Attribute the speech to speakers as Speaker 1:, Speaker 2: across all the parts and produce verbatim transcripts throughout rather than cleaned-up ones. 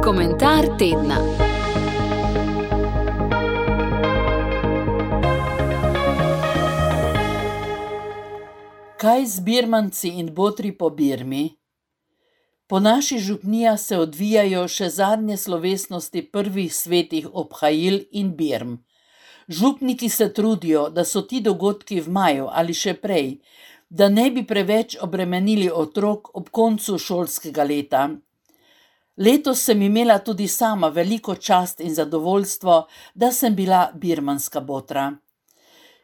Speaker 1: Komentar tedna.
Speaker 2: Kaj z birmanci in botri po Birmi? Po naši župniji se odvijajo še zadnje slovesnosti prvih svetih obhajil in birm. Župniki se trudijo, da so ti dogodki v maju ali še prej, da ne bi preveč obremenili otrok ob koncu šolskega leta. Letos sem imela tudi sama veliko čast in zadovoljstvo, da sem bila birmanska botra.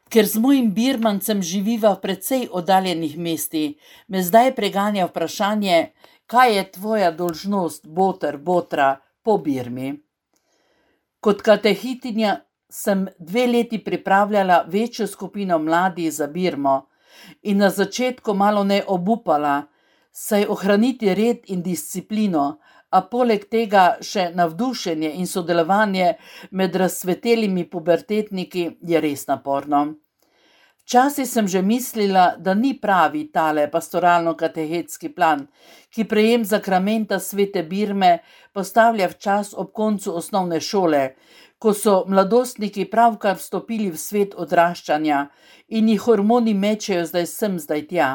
Speaker 2: Ker z mojim birmancem živiva v precej oddaljenih mestih, me zdaj preganja vprašanje, kaj je tvoja dolžnost, boter, botra, po Birmi. Kot katehitinja sem dve leti pripravljala večjo skupino mladih za Birmo in na začetku malo ne obupala, saj ohraniti red in disciplino, a poleg tega še navdušenje in sodelovanje med razcvetelimi pubertetniki je res naporno. Včasih sem že mislila, da ni pravi tale pastoralno-katehetski plan, ki prejem zakramenta svete Birme postavlja v čas ob koncu osnovne šole, ko so mladostniki pravkar vstopili v svet odraščanja in jih hormoni mečejo zdaj sem, zdaj tja.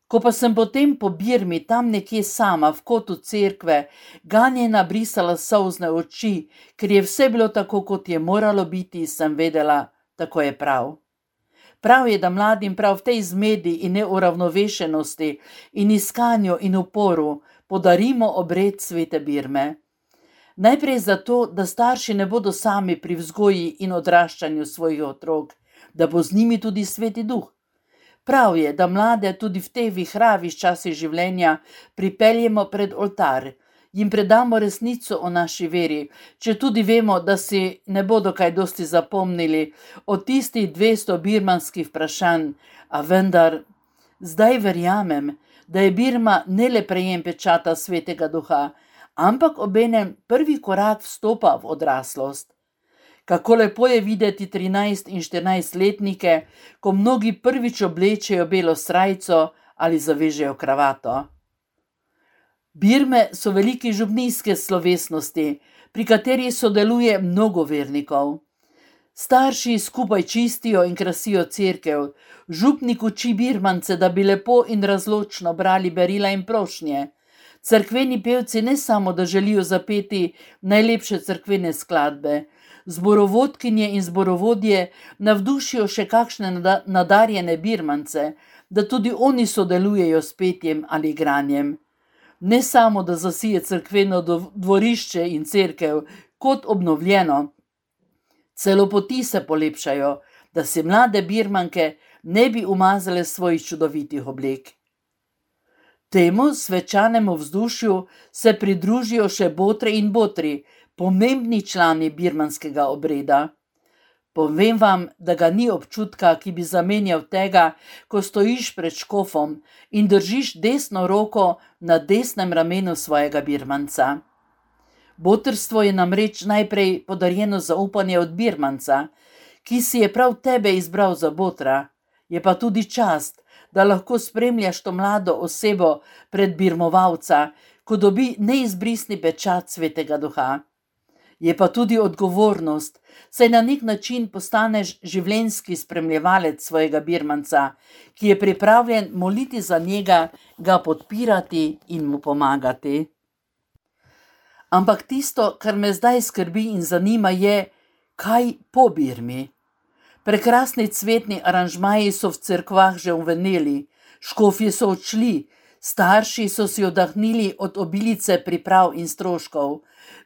Speaker 2: Ko pa sem potem po Birmi tam nekje sama v kotu cerkve ganjena brisala solzne oči, ker je vse bilo tako, kot je moralo biti, sem vedela, tako je prav. Prav je, da mladim prav v tej zmedi in neuravnovešenosti in iskanju in uporu podarimo obred svete Birme. Najprej zato, da starši ne bodo sami pri vzgoji in odraščanju svojih otrok, da bo z njimi tudi sveti duh. Prav je, da mlade tudi v teh vihravih časih življenja pripeljemo pred oltar, jim predamo resnico o naši veri, če tudi vemo, da si ne bodo kaj dosti zapomnili od tistih dvesto birmanskih vprašanj, a vendar, zdaj verjamem, da je Birma ne le prejem pečata svetega duha, ampak obenem prvi korak vstopa v odraslost. Kako lepo je videti trinajst in štirinajstletnike, ko mnogi prvič oblečejo belo srajco ali zavežejo kravato. Birme so velike župnijske slovesnosti, pri kateri sodeluje mnogo vernikov. Starši skupaj čistijo in krasijo cerkev, župnik uči birmance, da bi lepo in razločno brali berila in prošnje. Cerkveni pevci ne samo, da želijo zapeti najlepše cerkvene skladbe, zborovodkinje in zborovodje navdušijo še kakšne nadarjene birmance, da tudi oni sodelujejo s petjem ali igranjem. Ne samo, da zasije cerkveno dvorišče in cerkev kot obnovljeno, celo poti se polepšajo, da si mlade birmanke ne bi umazale svojih čudovitih oblek. Temu svečanemu vzdušju se pridružijo še botre in botri, pomembni člani birmanskega obreda. Povem vam, da ga ni občutka, ki bi zamenjal tega, ko stojiš pred škofom in držiš desno roko na desnem ramenu svojega birmanca. Botrstvo je namreč najprej podarjeno zaupanje od birmanca, ki si je prav tebe izbral za botra. Je pa tudi čast, da lahko spremljaš to mlado osebo pred birmovalca, ko dobi neizbrisni pečat svetega duha. Je pa tudi odgovornost, saj na nek način postaneš življenjski spremljevalec svojega birmanca, ki je pripravljen moliti za njega, ga podpirati in mu pomagati. Ampak tisto, kar me zdaj skrbi in zanima, je, kaj po Birmi. Prekrasni cvetni aranžmaji so v cerkvah že uveneli, škofje so odšli, starši so si oddahnili od obilice priprav in stroškov,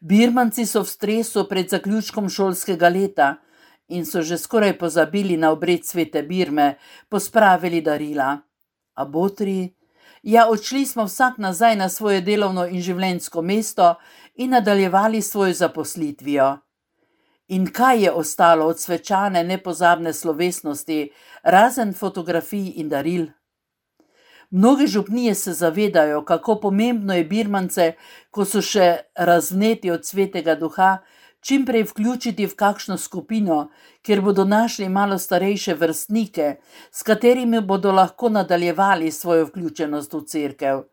Speaker 2: birmanci so v stresu pred zaključkom šolskega leta in so že skoraj pozabili na obred svete Birme, pospravili darila. A botri? Ja, odšli smo vsak nazaj na svoje delovno in življenjsko mesto in nadaljevali svojo zaposlitvijo. In kaj je ostalo od svečane nepozabne slovesnosti, razen fotografij in daril? Mnoge župnije se zavedajo, kako pomembno je birmance, ko so še razvneti od svetega duha, čim prej vključiti v kakšno skupino, kjer bodo našli malo starejše vrstnike, s katerimi bodo lahko nadaljevali svojo vključenost v cerkev.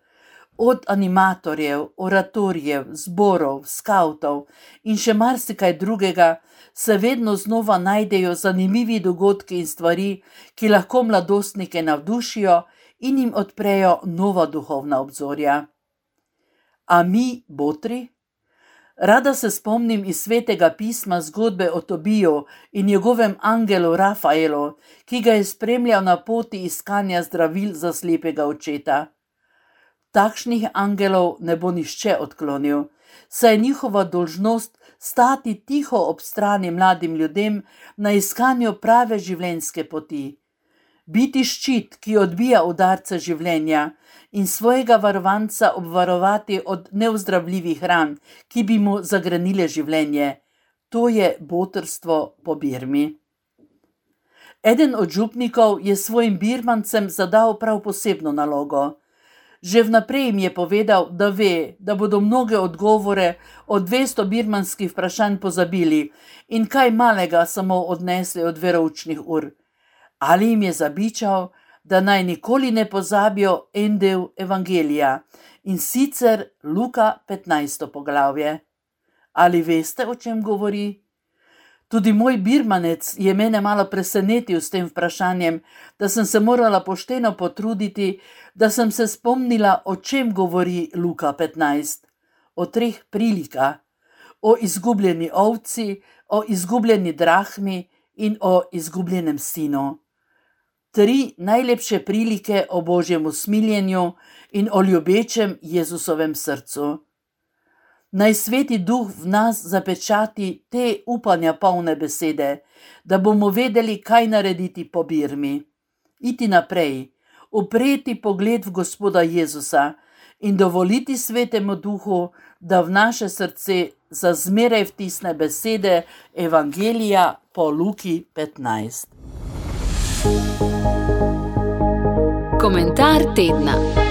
Speaker 2: Od animatorjev, oratorjev, zborov, skavtov in še marsikaj drugega se vedno znova najdejo zanimivi dogodki in stvari, ki lahko mladostnike navdušijo in jim odprejo nova duhovna obzorja. A mi, botri? Rada se spomnim iz svetega pisma zgodbe o Tobiju in njegovem angelu Rafaelu, ki ga je spremljal na poti iskanja zdravil za slepega očeta. Takšnih angelov ne bo nihče odklonil, saj je njihova dolžnost stati tiho ob strani mladim ljudem na iskanju prave življenjske poti. Biti ščit, ki odbija udarce življenja in svojega varovanca obvarovati od neozdravljivih ran, ki bi mu zagrenile življenje. To je botrstvo po Birmi. Eden od župnikov je svojim birmancem zadal prav posebno nalogo. Že vnaprej jim je povedal, da ve, da bodo mnoge odgovore od dvesto birmanskih vprašanj pozabili in kaj malega samo odnesli od veroučnih ur. Ali jim je zabičal, da naj nikoli ne pozabijo en del evangelija, in sicer Luka petnajsto poglavje. Ali veste, o čem govori? Tudi moj birmanec je mene malo presenetil s tem vprašanjem, da sem se morala pošteno potruditi, da sem se spomnila, o čem govori Luka petnajst. O treh prilikah, o izgubljeni ovci, o izgubljeni drahmi in o izgubljenem sinu. Tri najlepše prilike o Božjem usmiljenju in o ljubečem Jezusovem srcu. Naj Sveti Duh v nas zapečati te upanja polne besede, da bomo vedeli, kaj narediti po Birmi. Iti naprej, upreti pogled v Gospoda Jezusa in dovoliti Svetemu Duhu, da v naše srce za zmeraj vtisne besede evangelija po Luki petnajst.
Speaker 1: Komentar tedna.